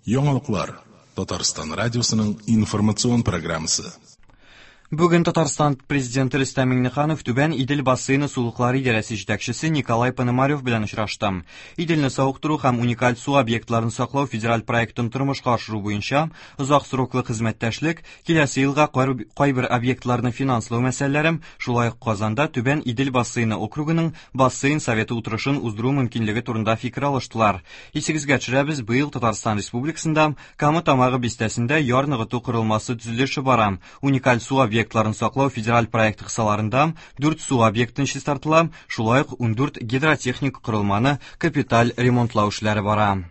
Яңалыклар Татарстан радиосының информацион программасы. Бүген Татарстан президенты Рөстәм Миңнеханов Түбән Идел бассейны сулыклары идарәсе җитәкчесе Николай Пономарев белән очрашты. Иделне савыктыру һәм уникаль су объектларын саклау федераль проектын тормышка ашыру буенча озак сроклы хезмәттәшлек, киләсе елга кайбер объектларны финанслау мәсьәләләре, шулай ук Казанда Түбән Идел бассейны округының бассейн советы утырышын уздыру мөмкинлеге турында фикер алыштылар. Исегезгә төшерәбез, быел Татарстан Республикасында Кама Тамагы бистәсендә яр ныгыту корылмасы төзелеше бара. Уникаль су объектларын саклау федераль проекты кысаларында 4 су объектын чистартыла, шулай ук 14 гидротехник корылманы капиталь ремонтлау эшләре бара.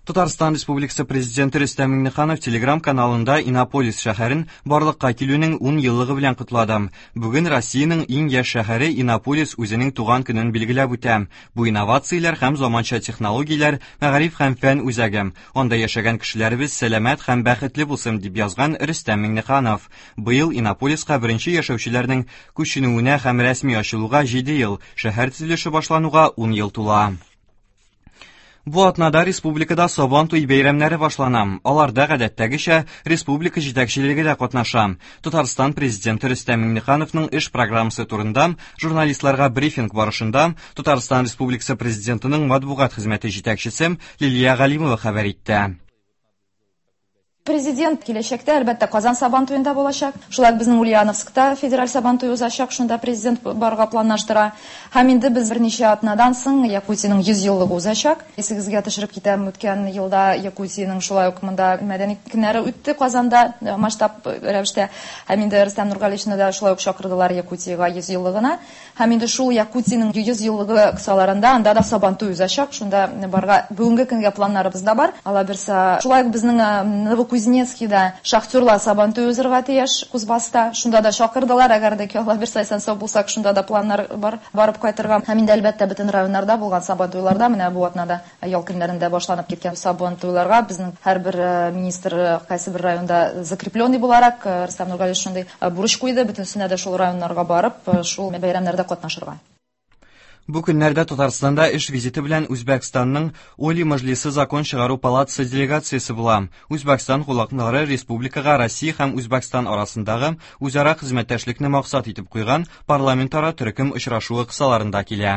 Татарстан Республикасы Президенты Рөстәм Миңнеханов Телеграм-каналында Иннополис шәһәрен барлыкка килүнең 10 еллыгы белән котлады. Бүген Россиянең иң яшь шәһәре Иннополис үзенең туган көнен билгеләп үтә. Бу инновацияләр һәм заманча технологияләр, мәгариф һәм фән үзәге. Анда яшәгән кешеләребез сәламәт һәм бәхетле булсын, дип язган Рөстәм Миңнеханов. Быел Иннополиска беренче яшәүчеләрнең күченүенә һәм рәсми ачылуга 7 ел, шәһәр төзелеше башлануга 10 ел тула. Бу атнада республикада Сабан туй бәйрәмнәре башлана. Аларда гадәттәгечә республика җитәкчелеге дә катнаша. Татарстан президенты Рөстәм Миңнехановның эш программасы турында журналистларга брифинг барышында Татарстан Республикасы президентының матбугат хезмәте җитәкчесе Лилия Галимова хәбәр итте. Президент киләчәктә, әлбәттә, Казан Сабан туенда булачак. Шулай ук безнең Ульяновскта федераль Сабан туе узачак, шунда президент барырга планлаштыра. Һәм инде без берничә атнадан соң Якутиянең 100 еллыгы узачак. Исегезгә төшереп китәм, үткән елда Якутиянең шулай ук монда мәдәни көннәре үтте Казанда масштаб рәвештә. Һәм инде Рөстәм Нургалиевичны да шулай ук чакырдылар Якутиягә 100 еллыгына. Һәм инде шул Якутиянең 100 еллыгы кысаларында анда да Сабантуй узачак. Шунда барырга бүгенге көнгә планнарыбыз да бар. Алабирса, шулай ук безнең Новокузнецкида шахтерлар Сабантуй узырга тиеш Кузбасста. Шунда да чакырдылар. Әгәр дә ки Аллабирса исән-сау булсак, шунда да планнар бар барып кайтырга. Һәм инде әлбәттә бөтен районнарда булган Сабантуйларда менә бу атнада ял көннәрендә башланып киткән Сабантуйларга безнең һәрбер министр кайсы бер районда закрепленный буларак Рөстәм Нургалиевич шундый бурыч куйды, бөтенесенә дә шул районнарга барып, шул бәйрәмнәрдә катнашырга. Бу көннәрдә Татарстанда эш визиты белән Үзбәкстанның Оли Мажлисы закон чыгару палатасы делегациясе була. Үзбәкстан кунаклары республикага Россия һәм Үзбәкстан арасындагы үзара хезмәттәшлекне максат итеп куйган парламентара төркем очрашуы кысаларында килә.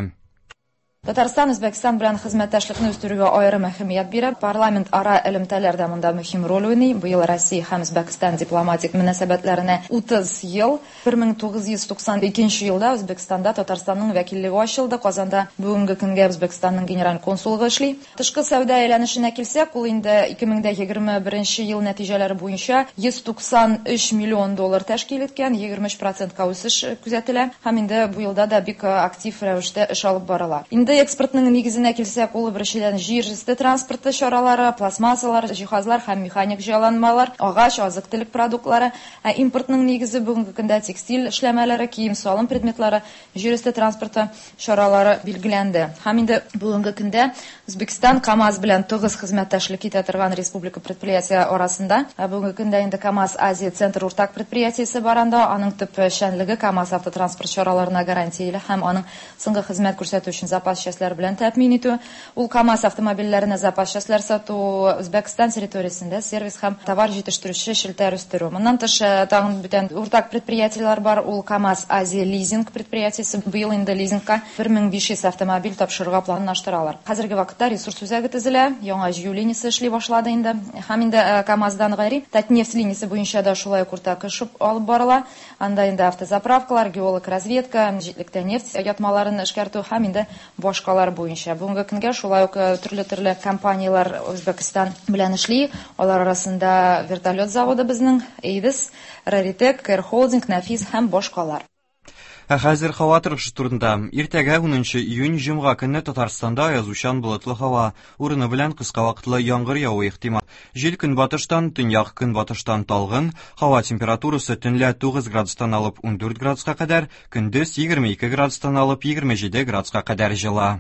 Татарстан Үзбәкстан белән хезмәттәшлекне үстерүгә аерым әһәмият бирә. Парламент ара элемтәләр дә монда мөһим роль уйный. Быел Россия һәм Үзбәкстан дипломатик мөнәсәбәтләренә 30 ел. 1992 елда Үзбәкстанда Татарстанның вәкиллеге ачылды. Казанда бүгенге көнгә Үзбәкстанның генераль консуллыгы эшли. Тышкы сәүдә әйләнешенә килсәк, ул инде 2021 ел нәтиҗәләре буенча 193 миллион доллар тәшкил иткән, 23 процентка үсеш күзәтелә һәм инде бу елда да бик актив рәвештә эш алып барыла. Инде экспортның нигезенә килсәк, ул беренчедән җир өсте транспорты чаралары, пластмассалар, җиһазлар һәм механик җайланмалар, агач, азык-төлек продуктлары, ә импортның нигезе бүгенге көндә текстиль эшләмәләре, кием-салым предметлары, җир өсте транспорты чаралары билгеләнде. Һәм инде бүгенге көндә Үзбәкстан КАМАЗ белән тыгыз хезмәттәшлек итә торган республика предприятие арасында. Бүгенге көндә инде КАМАЗ Азия Центр уртак предприятиесе бар анда. Аның төп эшчәнлеге КАМАЗ автотранспорт чараларына гарантияле һәм аның соңгы хезмәт күрсәтү өчен запас частьләр белән тәэмин итү. Ул КАМАЗ автомобильләренә запас частьләр сату, Үзбәкстан территориясендә сервис һәм товар җитештерүче челтәр үстерү. Моннан тыш, тагын бүтән уртак предприятиеләр бар. Ул КАМАЗ Азия лизинг предприятиесе. Быел инде лизингка 1500 автомобиль тапшырырга планлаштыралар. Хәзерге вакытта ресурс үзәге төзелә, яңа җыю линиясе эшли башлады инде. Һәм инде КАМАЗдан гайри Татнефть линиясе буенча да шулай ук уртак эш алып барыла. Анда инде автозаправкалар, геолог разведка, җитлектә нефть ятмаларын эшкәртү һәм инде башкалар буенча. Бүгенге көнгә шулай ук төрле-төрле компанияләр Үзбәкстан белән эшли. Алар арасында вертолет заводы безнең, Эйдес, Раритек, Кэр Холдинг, Нәфис һәм башкалар. Ә хәзер һава торышы турында. Иртәгә 10 июнь җомга көнне Татарстанда аязучан болытлы һава, урыны белән кыска вакытлы яңгыр явуы ихтимал. Җил көнбатыштан, төньяк көнбатыштан талгын, һава температурасы төнлә 9 градустан алып 14 градуска кадәр, көндез 22 градустан алып 27 градуска кадәр җылы.